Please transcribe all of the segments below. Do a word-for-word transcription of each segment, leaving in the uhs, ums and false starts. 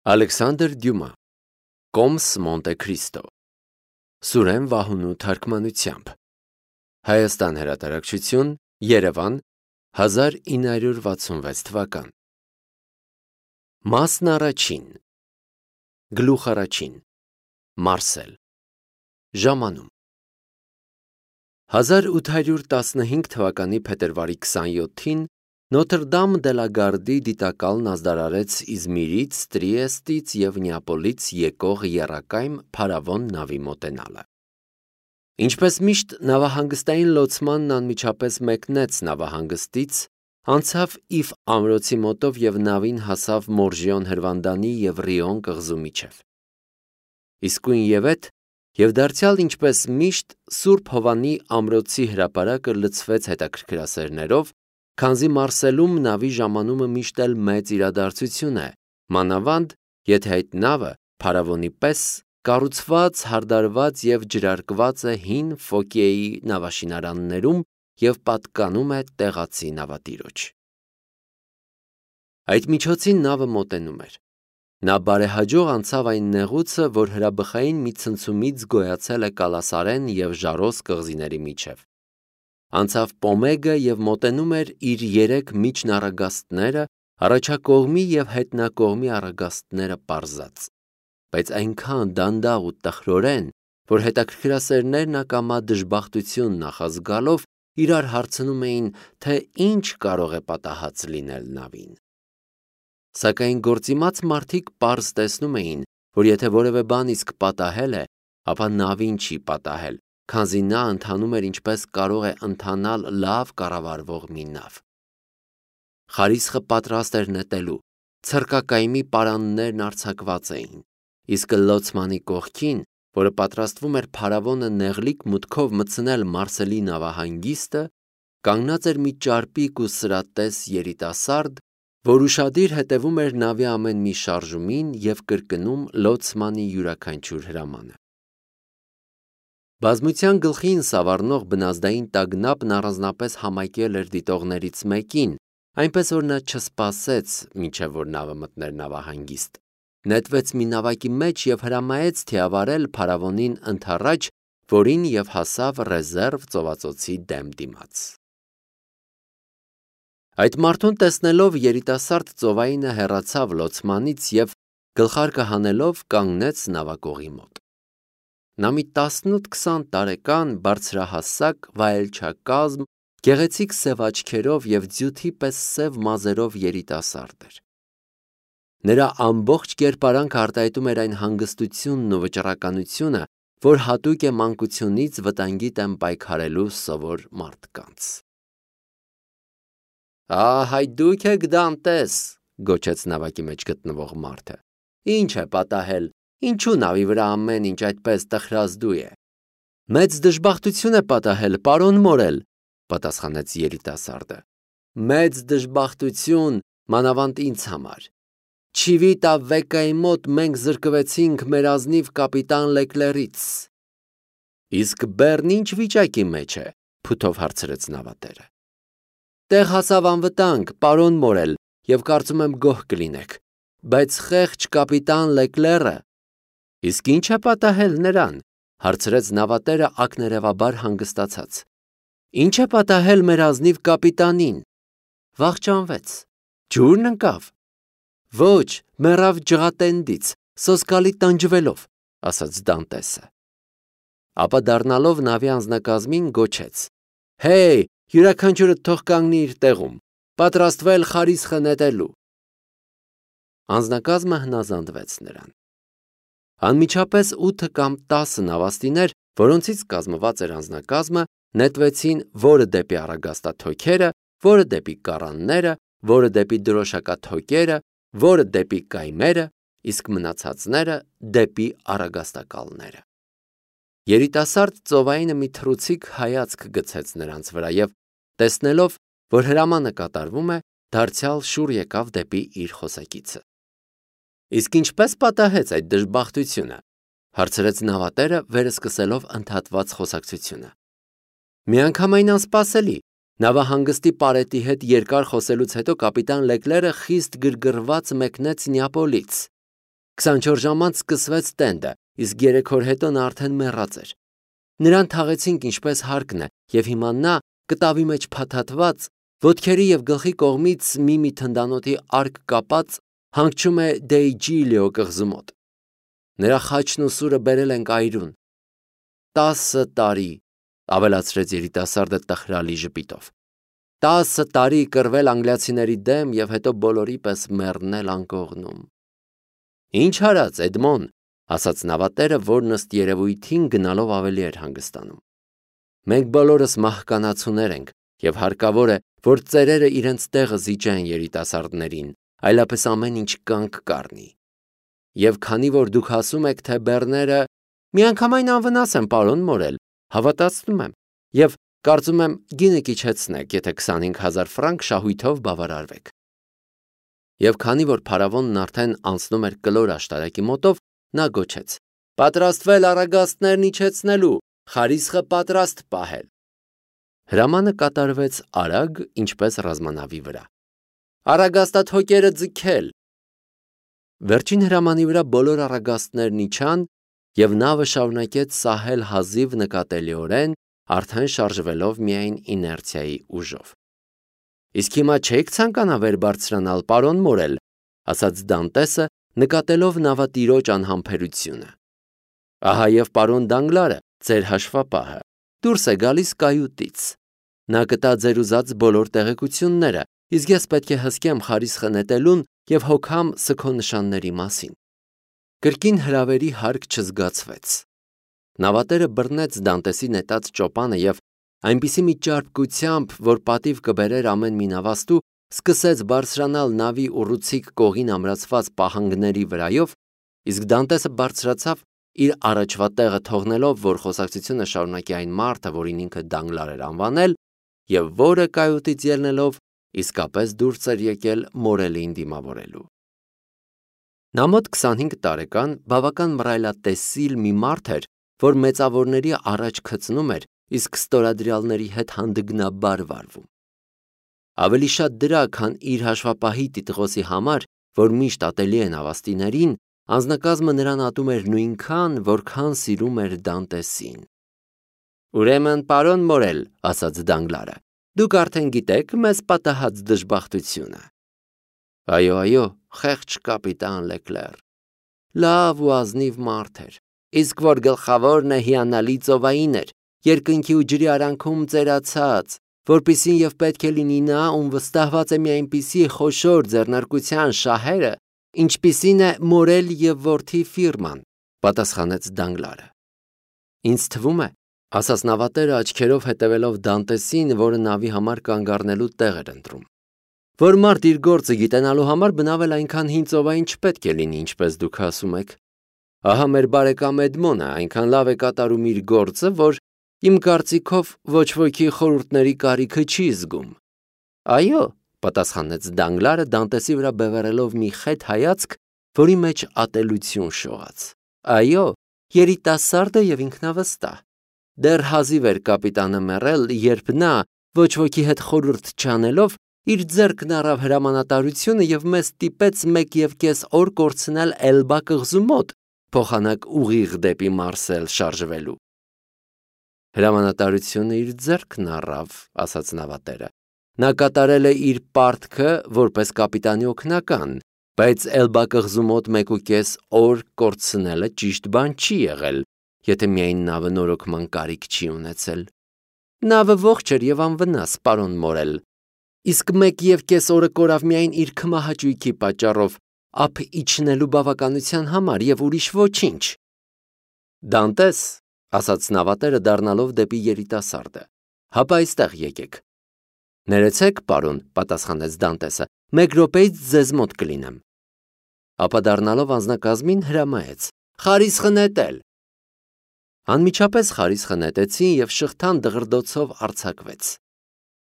Ալեքսանդր Դյումա, Կոմս Մոնտե Քրիստո, Սուրեն Վահունու թարգմանությամբ, Հայաստան հրատարակչություն, Երևան, հազար ինը հարյուր վաթսունվեց թվական։ Մասն առաջին, Գլուխ առաջին, Մարսել, ժամանում։ հազար ութ հարյուր տասնհինգ թվականի փետրվարի քսանյոթին Նոթր Դամ դե լա Գարդի դիտակալն ազդարարեց Իզմիրից, Տրիեստից և Նեապոլից եկող եռակայմ փարավոն նավի մոտենալը։ Ինչպես միշտ նավահանգստային լոցմանն անմիջապես մեկնեց նավահանգստից, անցավ Իֆ ամրոցի մոտով և նավին հասավ Մորժիոն հրվանդանի և Ռիոն կղզու միջև։ Իսկույն ևեթ և դարձյալ ինչպես միշտ Սուրբ Հովանի ամրոցի հրապարակը լցվեց հետաքրքրասերներով, քանզի Մարսելում նավի ժամանումը միշտ էլ մեծ իրադարձություն է, մանավանդ, եթե այդ նավը փարավոնի պես կառուցված, հարդարված և ջրարկված է հին Ֆոկիեի նավաշինարաններում և պատկանում է տեղացի նավատիրոջ։ Այդ միջոցին նավը մոտենում էր։ Նա բարեհաջող անցավ այն նեղուցը, որ հրաբխային մի ցնցումից գոյացել է Կալասարեն և Ժարոս կղզիների միջև։ Անցավ Պոմեգը և մոտենում էր իր երեք միջնառագաստները, առաջակողմի և հետնակողմի առագաստները պարզած, բայց այնքան դանդաղ ու տխրորեն, որ հետաքրքրասերներն ակամա դժբախտություն նախազգալով իրար հարցնում էին, թե ինչ կարող է պատահած լինել նավին։ Սակայն գործիմաց մարդիկ պարզ տեսնում էին, որ եթե որևէ բան իսկ պատահել է, ապա նավին չի պատահել, քանզի նա ընթանում էր ինչպես կարող է ընթանալ լավ կառավարվող մի նավ։ Խարիսխը պատրաստ էր նետելու, ցրկակայմի պարաններն արձակված էին, իսկ լոցմանի կողքին, որը պատրաստվում էր փարավոնը նեղլիկ մուտքով մտցնել Մարսելի նավահանգիստը, կանգնած էր մի ճարպիկ ու սրատես երիտասարդ, որ ուշադիր հետևում էր նավի ամեն մի շարժումին և կրկնում լոցմանի յուրաքանչյուր հրամանը։ Բազմության գլխին սավառնող բնազդային տագնապն առանձնապես համակել էր դիտողներից մեկին, այնպես որ նա չսպասեց, մինչև որ նավը մտներ նավահանգիստ, նետվեց մի նավակի մեջ և հրամայեց թիավարել փարավոնին ընդառաջ, որին և հասավ ռեզերվ ծովածոցի դեմ դիմաց։ Այդ մարդուն տեսնելով երիտասարդ ծովայինը հեռացավ լոցմանից և գլխարկը հանելով կանգնեց նավակողի մոտ։ Նա մի տասնութ-քսան տարեկան, բարձրահասակ, վայելչակազմ, գեղեցիկ սև աչքերով և ձյութի պես սև մազերով երիտասարդ էր։ Նրա ամբողջ կերպարանքը արտահայտում էր այն հանգստությունն ու վճռականությունը, որ հատուկ է մանկությունից վտանգի դեմ պայքարելու սովոր մարդկանց։ «Ահ, դուք եք Դանտես», գոչեց նավակի մեջ գտնվող մարդը։ «Ինչ է պատահել, ինչու նավի վրա ամեն ինչ այդպես տխրազդու է»։ «Մեծ դժբախտություն է պատահել, պարոն Մորել», պատասխանեց երիտասարդը։ «Մեծ դժբախտություն, մանավանդ ինձ համար։ Չիվիտա Վեկայի մոտ մենք զրկվեցինք մեր ազնիվ կապիտան Լեկլերից»։ «Իսկ բեռն ինչ վիճակի մեջ է», փութով հարցրեց նավատերը։ «Տեղ հասավ անվտանգ, պարոն Մորել, և կարծում եմ գոհ կլինեք, բայց խեղճ կապիտան Լեկլերը»։ «Իսկ ի՞նչ է պատահել նրան», հարցրեց նավատերը ակներևաբար հանգստացած։ «Ի՞նչ է պատահել մեր ազնիվ կապիտանին»։ «Վախճանվեց»։ «Ջուրն ընկավ»։ «Ոչ, մեռավ ջղատենդից, սոսկալի տանջվելով», ասաց Դանտեսը։ Ապա դառնալով նավի անձնակազմին գոչեց. «Հեյ, յուրաքանչյուրդ թող կանգնի իր տեղում, պատրաստվել խարիսխը նետելու»։ Անձնակազմը հնազանդվեց նրան։ Անմիջապես ութը կամ տասը նավաստիներ, որոնցից կազմված էր անձնակազմը, նետվեցին որը դեպի առագաստաթոքերը, որը դեպի կառանները, որը դեպի դրոշակաթոքերը, որը դեպի կայմերը, իսկ մնացածները դեպի առագաստակալները։ Երիտասարդ ծովայինը մի թռուցիկ հայացք գցեց նրանց վրա և, տեսնելով, որ հրամանը կատարվում է, դարձյալ շուռ եկավ դեպի իր խոսակիցը։ «Իսկ ինչպե՞ս պատահեց այդ դժբախտությունը», հարցրեց նավատերը, վերսկսելով ընդհատված խոսակցությունը։ «Միանգամայն անսպասելի, նավահանգստի պարետի հետ երկար խոսելուց հետո կապիտան Լեկլերը խիստ գրգռված մեկնեց Նեապոլից»։ քսանչորս ժամ անց սկսվեց տենդը, իսկ երեք օր հետո նա արդեն մեռած էր։ Նրան թաղեցինք ինչպես հարկն է, եւ հիմա նա կտավի մեջ փաթաթված, ոտքերի եւ գլխի կողմից մի-մի թնդանոթի արկ կապած հանգչում է Դեյջիլիո կղզու մոտ։ Նրա խաչն ու սուրը բերել ենք այրուն։ Տասը տարի, ավելացրեց երիտասարդը տխրալի ժպիտով։ Տասը տարի կռվել անգլիացիների դեմ եւ հետո բոլորի պես մեռնել անկողնում։ Ինչ արած, Էդմոն, ասաց նավատերը, որն ըստ երևույթին գնալով ավելի էր հանգստանում։ Մենք բոլորս մահկանացուներ ենք եւ հարկավոր է, որ ծերերը իրենց տեղը զիջեն երիտասարդներին, այլապես ամեն ինչ կանգ կառնի։ Եվ քանի որ դուք ասում եք, թե բեռները միանգամայն անվնաս են, պարոն Մորել, հավատացնում եմ, եւ կարծում եմ գինը կիչեցնեք, եթե քսանհինգ հազար ֆրանկ շահույթով բավարարվեք։ Եվ քանի որ փարավոնն արդեն անցնում էր կլոր աշտարակի մոտով, նա գոչեց. Պատրաստվել առագաստներն իջեցնելու, խարիսխը պատրաստ պահել։ Հրամանը կատարվեց արագ, ինչպես ռազմանավի վրա։ Առագաստաթոկերը ձգել։ Վերջին հրամանի վրա բոլոր առագաստներն իջան, եւ նավը շարունակեց սահել հազիվ նկատելիորեն, արդեն շարժվելով միայն իներցիայի ուժով։ Իսկ հիմա չեք ցանկանա վեր բարձրանալ, պարոն Մորել, ասաց Դանտեսը, նկատելով նավատիրոջ անհամբերությունը։ Ահա եւ պարոն Դանգլարը, ձեր հաշվապահը, դուրս է գալիս կայուտից։ Նա կտա ձեր ուզած բոլոր տեղեկությունները, իսկ ես պետք է հսկեմ խարիսխը նետելուն եւ հոգամ սքո նշանների մասին։ Կրկին հրավերի հարկ չզգացվեց։ Նավատերը բռնեց Դանտեսի նետած ճոպանը եւ այնպիսի մի ճարպկությամբ, որ պատիվ կբերեր ամեն մի նավաստու, սկսեց բարձրանալ նավի ուռուցիկ կողին ամրացված պահանգների վրայով, իսկ Դանտեսը բարձրացավ իր առաջվա տեղը թողնելով, որ խոսակցությունը շարունակի այն մարդը, որին ինքը Դանգլար էր անվանել, եւ որը կայուտից ելնելով իսկապես դուրս էր եկել Մորելին դիմավորելու։ Նա մոտ քսանհինգ տարեկան բավական մռայլատեսիլ մի մարդ էր, որ մեծավորների առաջ քծնում էր, իսկ ստորադրյալների հետ հանդգնաբար վարվում։ Ավելի շատ դրա, քան իր հաշվապահի տիտղոսի համար, որ միշտ ատելի է նավաստիներին, անձնակազմը նրան ատում էր նույնքան, որքան սիրում էր Դանտեսին։ Ուրեմն, պարոն Մորել, ասաց Դանգլարը, դուք արդեն գիտեք մեզ պատահած դժբախտությունը։ Այո, այո, խեղճ կապիտան Լեկլեր։ Լավ ու ազնիվ մարդ էր, իսկ որ գլխավորն է հիանալի ծովային էր, երկնքի ու ջրի արանքում ծերացած, որպիսին եւ պետք է լինի նա, ում վստահված է մի այնպիսի խոշոր ձեռնարկության շահերը, ինչպիսին է Մորել եւ որդի ֆիրման, պատասխանեց Դանգլարը։ Ինձ թվում է, ասաց նավատերը աչքերով հետևելով Դանտեսին, որը նավի համար կանգ առնելու տեղ էր ընտրում, որ մարդ իր գործը գիտենալու համար բնավել այնքան հին ծովային չպետք է լինի, ինչպես դուք ասում եք։ Ահա մեր բարեկամ Էդմոնը այնքան լավ է կատարում իր գործը, որ իմ կարծիքով ոչ ոքի խորհուրդների կարիքը չի զգում։ Այո, պատասխանեց Դանգլարը Դանտեսի վրա բևեռելով մի խետ հայացք, որի մեջ ատելություն շողաց։ Այո, երիտասարդ է եւ ինքնավստահ։ Դեռ հազիվ էր կապիտանը մեռել, երբ նա, ոչ ոքի հետ խորհուրդ չանելով, իր ձեռքն առավ հրամանատարությունը եւ մեզ ստիպեց մեկ եւ կես օր կորցնել Էլբա կղզու մոտ, փոխանակ ուղիղ դեպի Մարսել շարժվելու։ Հրամանատարությունը իր ձեռքն առավ, ասաց նավատերը։ Նա կատարել է իր պարտքը որպես կապիտանի օգնական, բայց Էլբա կղզու մոտ մեկ ու կես օր կորցնելը ճիշտ բան չի եղել, եթե միայն նավը նորոգման կարիք չի ունեցել։ Նավը ողջ էր եւ անվնաս, պարոն Մորել, իսկ մեկ եւ կես օրը կորավ միայն իր քմահաճույքի պատճառով, ափ իջնելու բավականության համար եւ ուրիշ ոչինչ։ Դանտես, ասաց նավատերը դառնալով դեպի երիտասարդը, հապա այստեղ եկեք։ Ներեցեք, պարոն, պատասխանեց Դանտեսը, մեկ րոպեից ձեզ մոտ կլինեմ։ Ապա դառնալով անձնակազմին հրամայեց. Խարիսխը նետել։ Անմիջապես խարիսխը նետեցին եւ շղթան դղրդոցով արձակվեց։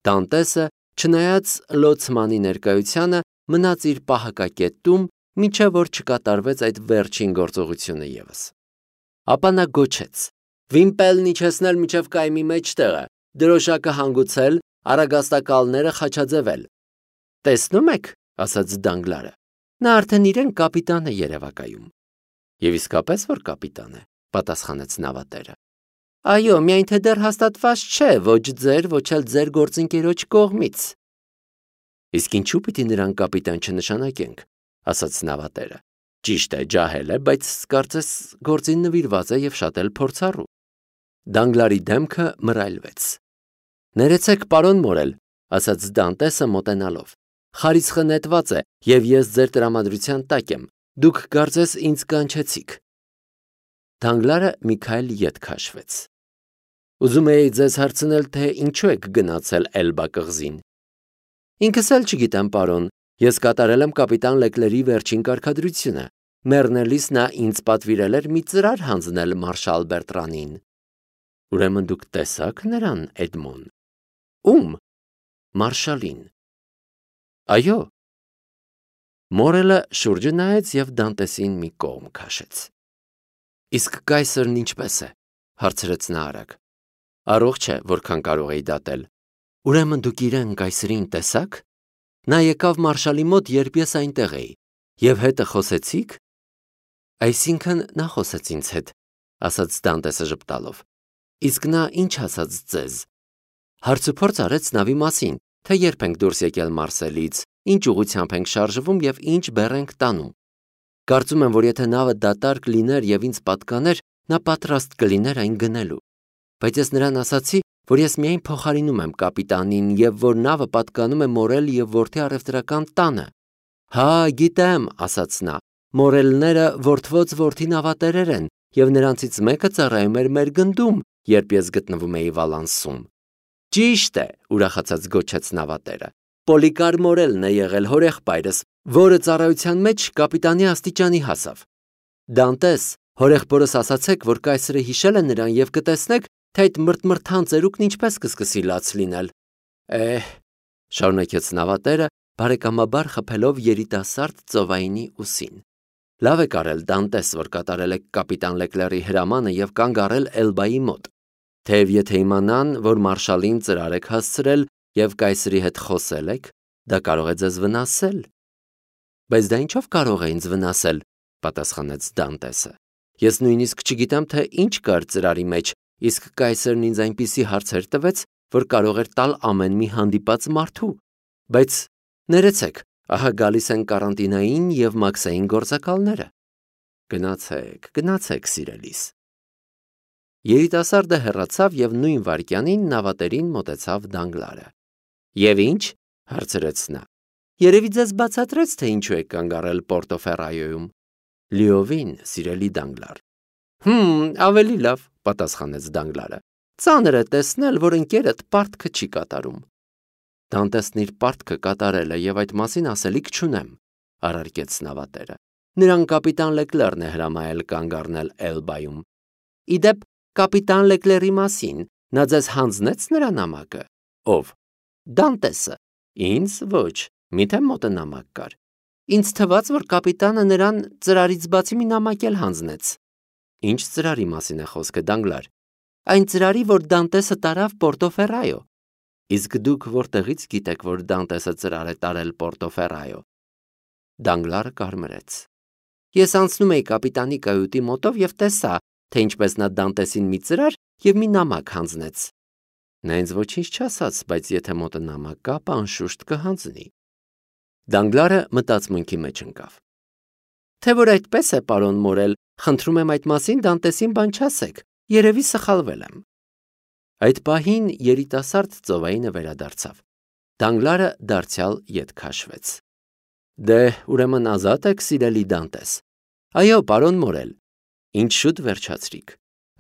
Դանտեսը, չնայած լոցմանի ներկայությանը, մնաց իր պահակակետում, մինչև որ չկատարվեց այդ վերջին գործողությունը եւս։ Ապա նա գոչեց. Վիմպելն իջեցնել միջև կայմի մեջտեղը, դրոշակը հանգուցել, առագաստակալները խաչաձևել։ Տեսնում եք, ասաց Դանգլարը, նա արդեն իրեն կապիտան է երևակայում։ Եվ իսկապես որ կապիտան է, պատասխանեց նավատերը։ Այո, միայն թե դեռ հաստատված չէ ոչ ձեր, ոչ էլ ձեր գործընկերոջ կողմից։ Իսկ ինչու պիտի նրան կապիտան չնշանակենք, ասաց նավատերը։ Ճիշտ է, ջահել է, բայց կարծես գործին նվիրված է եւ շատ էլ փորձառու։ Դանգլարի դեմքը մռայլվեց։ Ներեցեք, պարոն Մորել, ասաց Դանտեսը մոտենալով։ Խարիսխը նետված է, եւ ես ձեր տրամադրության տակ եմ։ Դուք կարծես ինձ կանչեցիք։ Դանգլարը մի քայլ ետ քաշվեց։ Ուզում էի ձեզ հարցնել, թե ինչու եք գնացել Էլբա կղզին։ Ինքս էլ չգիտեմ, պարոն, ես կատարել եմ կապիտան Լեկլերի վերջին կարգադրությունը։ Մեռնելիս նա ինձ պատվիրել էր մի ծրար հանձնել մարշալ Բերտրանին։ Ուրեմն դուք տեսաք նրան, Էդմոն։ Ում։ Մարշալին։ Այո։ Մորելը շուրջը նայեց եւ Դանտեսին մի կողմ քաշեց։ Իսկ կայսրն ինչպես է, հարցրեց նա արագ։ Առողջ է, որքան կարող էի դատել։ Ուրեմն դուք իրեն կայսրին տեսաք։ Նա եկավ մարշալի մոտ, երբ ես այնտեղ էի, եւ հետը խոսեցիք։ Այսինքն նա խոսեց ինձ հետ, ասաց Դանտեսը ժպտալով։ Իսկ նա ինչ ասաց ձեզ։ Հարցուփորձ արեց նավի մասին, թե երբ ենք դուրս եկել Մարսելից, ինչ ուղղությամբ ենք շարժվում եւ ինչ բեռ ենք տանում։ Կարծում եմ, որ եթե նավը դատարկ լիներ եւ ինձ պատկաներ, նա պատրաստ կլիներ այն գնելու։ Բայց ես նրան ասացի, որ ես միայն փոխարինում եմ կապիտանին եւ որ նավը պատկանում է Մորել եւ որդի առևտրական տանը։ Հա, գիտեմ, ասաց նա։ Մորելները որդվոց որդի նավատերեր են եւ նրանցից մեկը ծառայում էր մեր գնդում, երբ ես գտնվում էի Վալանսում։ Ճիշտ է, ուրախացած գոչեց նավատերը։ Պոլիկար Մորելն է եղել հորեղբայրս, որը ծառայության մեջ կապիտանի աստիճանի հասավ։ Դանտես, հորեղբորս ասացեք, որ կայսրը հիշել է նրան եւ կտեսնեք, թե այդ մրթմրթան ծերուկն ինչպես կսկսի լաց լինել։ Էհ, շարունակեց նավատերը, բարեկամաբար խփելով երիտասարդ ծովայինի ուսին։ Լավ է կարել Դանտես, որ կատարել եք կապիտան Լեկլերի հրամանը եւ կանգ առել Էլբայի մոտ։ Թեև եթե իմանան, որ մարշալին ծրար եք հասցրել եւ կայսրի հետ խոսել եք, դա կարող է ձեզ վնասել։ Բայց դա ինչով կարող է ինձ վնասել, պատասխանեց Դանտեսը։ Ես նույնիսկ չգիտեմ, թե ինչ կար ծրարի մեջ, իսկ կայսրն ինձ այնպիսի հարցեր տվեց, որ կարող էր տալ ամեն մի հանդիպած մարդու։ Բայց ներեցեք, ահա գալիս են կարանտինային եւ մաքսային գործակալները։ Գնացեք, գնացեք, սիրելիս։ Երիտասարդը հեռացավ եւ նույն վայրկյանին նավատերին մոտեցավ Դանգլարը։ Եվ ինչ, հարցրեց նա։ Երևի ձեզ բացատրեց, թե ինչու եք կանգ առել Պորտոֆերայոյում։ Լիովին, սիրելի Դանգլար։ Հմ, ավելի լավ, պատասխանեց Դանգլարը։ Ծանր է տեսնել, որ ընկերդ պարտքը չի կատարում։ Դանտեսն իր պարտքը կատարել է եւ այդ մասին ասելիք չունեմ, առարկեց նավատերը։ Նրան կապիտան Լեկլերն է հրամայել կանգ առնել Էլբայում։ Իդեպ կապիտան Լեկլերի մասին նա ձեզ հանձնեց նրա նամակը։ Ով։ Դանտեսը։ Ինձ ոչ, միթե մոտը նամակ կար։ Ինձ թվաց, որ կապիտանը նրան ծրարից բացի մի նամակ էլ հանձնեց։ Ինչ ծրարի մասին է խոսքը, Դանգլար։ Այն ծրարի, որ Դանտեսը տարավ Պորտոֆերայո։ Իսկ դուք որտեղից գիտեք, որ Դանտեսը ծրար է տարել Պորտոֆերայո։ Դանգլարը կարմրեց։ Ես անցնում էի կապիտանի կայուտի մոտով եւ տեսա, թե ինչպես նա Դանտեսին մի ծրար եւ մի նամակ հանձնեց։ Նա ինձ ոչինչ չասաց, բայց եթե մոտը նամակ կա, անշուշտ կհանձնի։ Դանգլարը մտածմունքի մեջ ընկավ։ Թե որ այդպես է, պարոն Մորել, խնդրում եմ այդ մասին Դանտեսին բան չասեք, երևի սխալվել եմ։ Այդ պահին երիտասարդ ծովայինը վերադարձավ։ Դանգլարը դարձյալ ետ քաշվեց։ Դե, ուրեմն ազատ եք, սիրելի Դանտես։ Այո, պարոն Մորել։ Ինչ շուտ վերջացրիք։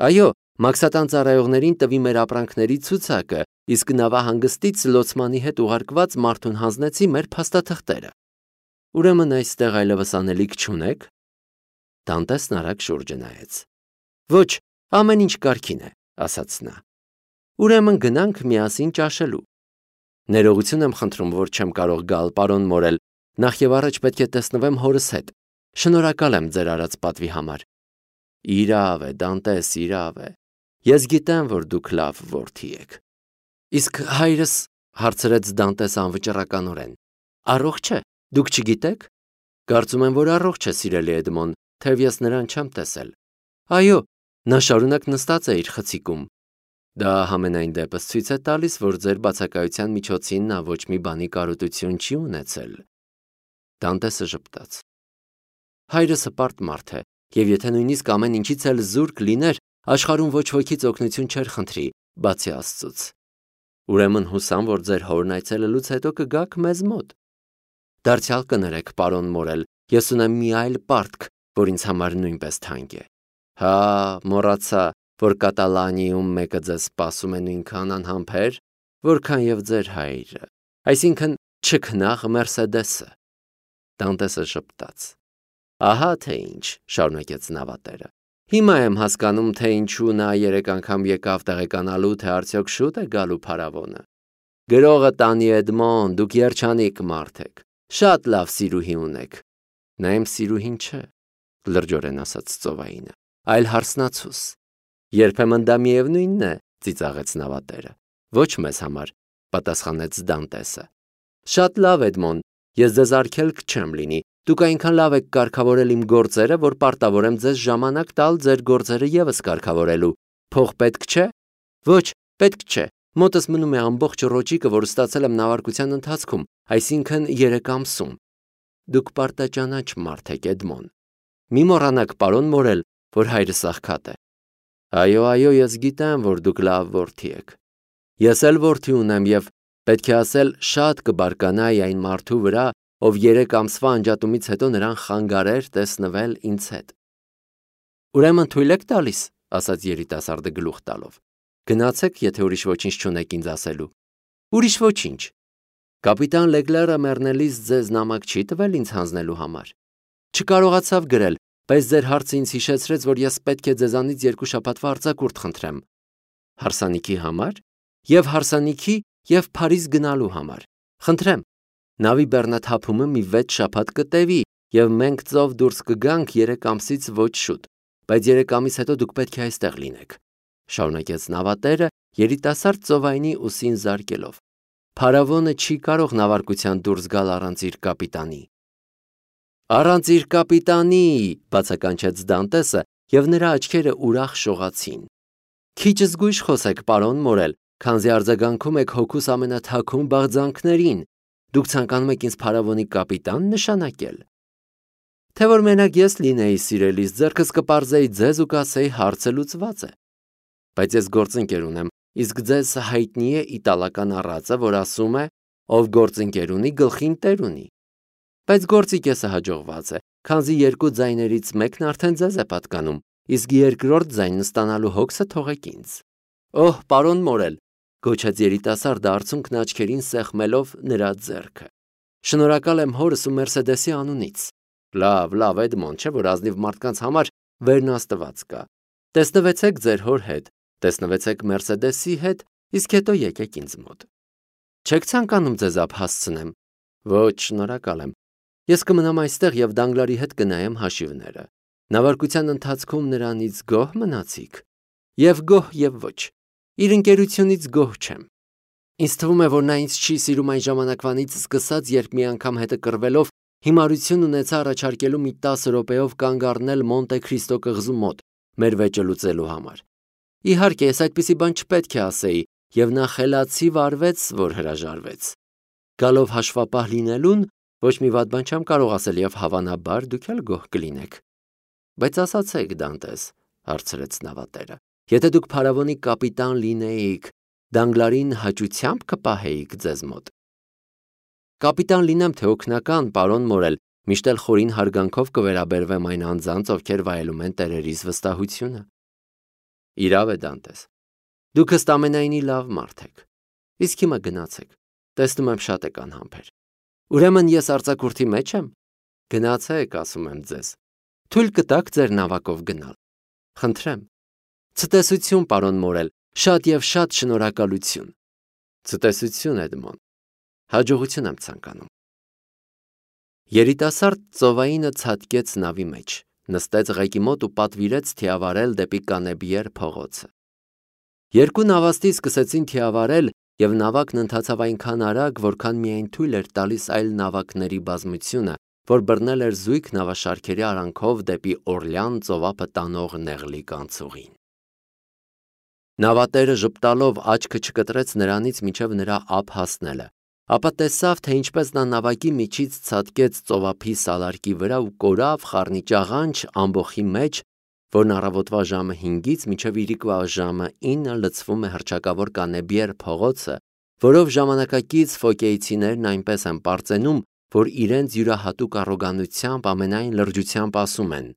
Այո, մաքսատան ծառայողներին տվի մեր ապրանքների ցուցակը, իսկ նավահանգստից լոցմանի հետ ուղարկված մարդուն հանձնեցի մեր փաստաթղթերը։ Ուրեմն այստեղ այլևս անելիք չունեք։ Դանտեսն արագ շուրջը նայեց։ Ոչ, ամեն ինչ կարգին է, ասաց նա։ Ուրեմն գնանք միասին ճաշելու։ Ներողություն եմ խնդրում, որ չեմ կարող գալ, պարոն Մորել, նախ եւ առաջ պետք է տեսնվեմ հորս հետ։ Շնորհակալ եմ ձեր արած պատվի համար։ Իրավ է, Դանտես, իրավ է։ Ես գիտեմ, որ դուք լավ որդի եք։ Իսկ հայրս, հարցրեց Դանտես անվճռականորեն, առողջ է, դուք չգիտեք։ Կարծում եմ, որ առողջ է, սիրելի Էդմոն, թեև ես նրան չեմ տեսել։ Այո, նա շարունակ նստած է իր խցիկում։ Դա համենայն դեպս ցույց է տալիս, որ ձեր բացակայության միջոցին նա ոչ մի բանի կարոտություն չի ունեցել։ Դանտեսը ժպտաց։ Հայրս հպարտ մարդ է, եւ եթե նույնիսկ ամեն ինչից էլ զուրկ լիներ, աշխարհում ոչ ոքից օգնություն չէր խնդրի, բացի Աստծուց։ Ուրեմն հուսամ, որ ձեր հորն այցելելուց հետո կգաք մեզ մոտ։ Դարձյալ կներեք, պարոն Մորել, ես ունեմ մի այլ պարտք, որ ինձ համար նույնպես թանկ է։ Հա, մոռացա, որ Կատալանիայում մեկը ձեզ սպասում է նույնքան անհամբեր, որքան եւ ձեր հայրը, այսինքն չքնաղ Մերսեդեսը։ Դանտեսը ժպտաց։ Ահա թե ինչ, շարունակեց նավատերը։ Հիմա եմ հասկանում, թե ինչու նա երեք անգամ եկավ տեղեկանալու, թե արդյոք շուտ է գալու փարավոնը։ Գրողը տանի Էդմոն, դուք երջանիկ մարդ եք, շատ լավ սիրուհի ունեք։ Նա իմ սիրուհին չէ, լրջորեն ասաց ծովայինը, այլ հարսնացուս։ Երբեմն դա միևնույնն է, ծիծաղեց նավատերը։ Ոչ մեզ համար, պատասխանեց Դանտեսը։ Շատ լավ, Էդմոն, ես ձեզ արգելք չեմ լինի։ Դուք այնքան լավ եք կարգավորել իմ գործերը, որ պարտավոր եմ ձեզ ժամանակ տալ ձեր գործերը եւս կարգավորելու։ Փող պետք չէ։ Ոչ, պետք չէ։ Մոտս մնում է ամբողջ ռոճիկը, որ ստացել եմ նավարկության ընթացքում, այսինքն երեք ամսում։ Դուք պարտաճանաչ մարդ եք, Էդմոն։ Մի մոռանաք, պարոն Մորել, որ հայրս աղքատ է։ Այո, այո, ես գիտեմ, որ դուք լավ որդի եք։ Ես էլ որդի ունեմ եւ պետք է ասել շատ կբարկանայի այն մարդու վրա, ով երեք ամսվա անջատումից հետո նրան խանգարեր տեսնվել ինձ հետ։ Ուրեմն թույլ եք տալիս, ասաց երիտասարդը գլուխ տալով։ Գնացեք, եթե ուրիշ ոչինչ չունեք ինձ ասելու։ Ուրիշ ոչինչ։ Կապիտան Լեգլերը մեռնելիս ձեզ նամակ չի տվել ինձ հանձնելու համար։ Չկարողացավ գրել, բայց ձեր հարցը ինձ հիշեցրեց, որ ես պետք է ձեզանից երկու շաբաթվա արձակուրդ խնդրեմ։ Հարսանիքի համար եւ հարսանիքի եւ Փարիզ գնալու համար։ Խնդրեմ, նավի բեռնաթափումը մի վեց շաբաթ կտևի եւ մենք ծով դուրս կգանք երեք ամսից ոչ շուտ, բայց երեք ամիս հետո դուք պետք է այստեղ լինեք։ Շարունակեց նավատերը երիտասարդ ծովայինի ուսին զարկելով։ Փարավոնը չի կարող նավարկության դուրս գալ առանց իր կապիտանի։ Առանց իր կապիտանի, բացականչեց Դանտեսը, եւ նրա աչքերը ուրախ շողացին։ Քիչ զգույշ խոսեք, պարոն Մորել, քանզի արձագանքում եք հոգուս ամենաթաքուն բաղձանքներին։ Դուք ցանկանում եք ինձ փարավոնի կապիտան նշանակել։ Թե որ մենակ ես լինեի սիրելիս, ձեռքս կպարզեի ձեզ ու կասեի հարցը լուծված է։ Բայց ես գործընկեր ունեմ, իսկ ձեզ հայտնի է իտալական առածը, որ ասում է, ով գործընկեր ունի, գլխին տեր ունի։ Բայց գործի կեսը հաջողված է, քանզի երկու ձայներից մեկն արդեն ձեզ է պատկանում, իսկ երկրորդ ձայնն ստանալու հոգսը թողեք ինձ։ Օհ, պարոն Մորել, գոչեց երիտասարդը արցունքն աչքերին սեղմելով նրա ձեռքը։ Շնորհակալ եմ հորս ու Մերսեդեսի անունից։ Լավ, լավ, Էդմոն, չէ՞ որ ազնիվ մարդկանց համար վերնաստված կա։ Տեսնվեցեք ձեր հոր հետ, տեսնվեցեք Մերսեդեսի հետ, իսկ հետո եկեք ինձ մոտ։ Չեք ցանկանում ձեզ ափ հասցնեմ։ Ոչ, շնորհակալ եմ։ Ես կմնամ այստեղ եւ Դանգլարի հետ կնայեմ հաշիվները։ Նավարկության ընթացքում նրանից գոհ մնացիք։ Եվ գոհ եւ ոչ։ Իր ընկերությունից գոհ չեմ։ Ինձ թվում է, որ նա ինձ չի սիրում այն ժամանակվանից սկսած, երբ մի անգամ հետը կռվելով հիմարություն ունեցա առաջարկելու մի տասը րոպեով կանգ առնել Մոնտե Քրիստո կղզու մոտ մեր վեճը լուծելու համար։ Իհարկե, ես այդպիսի բան չպետք է ասեի, եւ նա խելացի վարվեց, որ հրաժարվեց։ Գալով հաշվապահ լինելուն, ոչ մի վատ բան չեմ կարող ասել եւ հավանաբար դուք էլ գոհ կլինեք։ Բայց ասացեք, Դանտես, հարցրեց նավատերը, եթե դուք փարավոնի կապիտան լինեիք, Դանգլարին հաճությամբ կպահեիք ձեզ մոտ։ Կապիտան լինեմ թե օգնական, պարոն Մորել, միշտ էլ խորին հարգանքով կվերաբերվեմ այն անձանց, ովքեր վայելում են տերերիս վստահությունը։ Իրավ է, Դանտես։ Դուք ըստ ամենայնի լավ մարդ եք։ Իսկ հիմա գնացեք։ Տեսնում եմ շատ եք անհամբեր։ Ուրեմն ես արձակուրդի մեջ եմ։ Գնացեք, ասում եմ ձեզ։ Թույլ կտաք ձեր նավակով գնալ։ Խնդրեմ։ Ցտեսություն, պարոն Մորել, շատ եւ շատ շնորհակալություն։ Ցտեսություն, Էդմոն։ Հաջողություն եմ ցանկանում։ Երիտասարդ ծովայինը ցատկեց նավի մեջ, նստեց ղեկի մոտ ու պատվիրեց թիավարել դեպի Կանեբիեր փողոցը։ Երկու նավաստի սկսեցին թիավարել եւ նավակն ընթացավ այնքան արագ, որքան միայն թույլ էր տալիս այլ նավակների բազմությունը, որ բռնել էր զույգ նավաշարքերի արանքով դեպի Օրլյան ծովափը տանող նեղլիկ անցուղին։ Նավատերը ժպտալով աչքը չկտրեց նրանից մինչև նրա ափ հասնելը, ապա տեսավ, թե ինչպես նա նավակի միջից ցատկեց ծովափի սալարկի վրա ու կորավ խառնիճաղանճ ամբոխի մեջ, որն առավոտվա ժամը հինգից մինչև իրիկվա ժամը ինը լցվում է հռչակավոր Կանեբիեր փողոցը, որով ժամանակակից ֆոկեյցիներն այնպես են պարծենում, որ իրենց յուրահատուկ առոգանությամբ ամենայն լրջությամբ ասում են.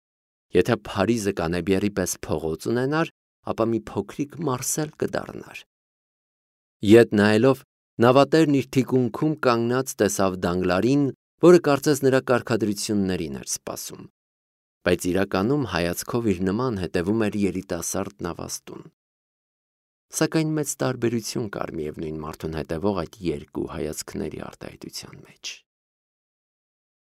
եթե Փարիզը Կանեբիերի պես փողոց ունենար, ապա մի փոքրիկ Մարսել կդառնար։ Ետ նայելով, նավատերն իր թիկունքում կանգնած տեսավ Դանգլարին, որը կարծես նրա կարգադրություններին էր սպասում, բայց իրականում հայացքով իր նման հետևում էր երիտասարդ նավաստուն։ Սակայն մեծ տարբերություն կար միևնույն մարդուն հետևող այդ երկու հայացքների արտահայտության մեջ։